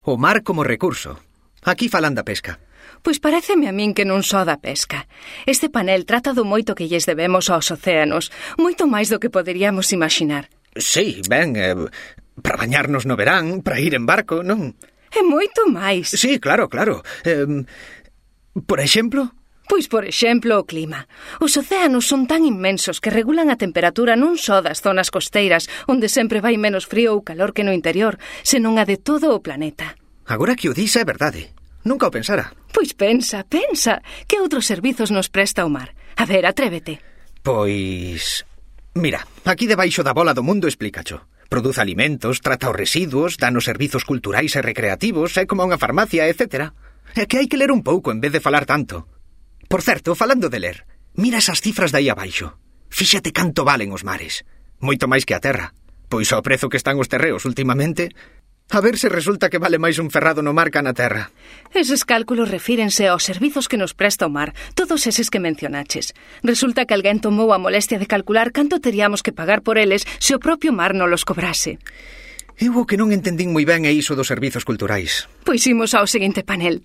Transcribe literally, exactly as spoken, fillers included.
O mar como recurso. Aquí falan da pesca. Pois paréceme a min que non só da pesca. Este panel trata do moito que lles debemos aos océanos, moito máis do que poderíamos imaginar. Sí, ben, eh, para bañarnos no verán, para ir en barco, non? E moito máis. Sí, claro, claro. Eh, por exemplo... Pois, por exemplo, o clima. Os océanos son tan inmensos que regulan a temperatura non só das zonas costeiras, onde sempre vai menos frío ou calor que no interior, senón a de todo o planeta. Agora que o dis é verdade. Nunca o pensara. Pois pensa, pensa. Que outros servizos nos presta o mar? A ver, atrévete. Pois... Mira, aquí debaixo da bola do mundo explícacho. Produce alimentos, trata os residuos, danos servizos culturais e recreativos, é como unha farmacia, etcétera. É que hai que ler un pouco en vez de falar tanto. Por certo, falando de ler, mira esas cifras de aí abaixo. Fíxate canto valen os mares. Moito máis que a terra. Pois ao prezo que están os terreos últimamente, a ver se resulta que vale máis un ferrado no mar que na terra. Eses cálculos refírense aos servizos que nos presta o mar, todos eses que mencionaches. Resulta que alguén tomou a molestia de calcular canto teríamos que pagar por eles se o propio mar non los cobrase. Eu o que non entendín moi ben é iso dos servizos culturais. Pois imos ao seguinte panel.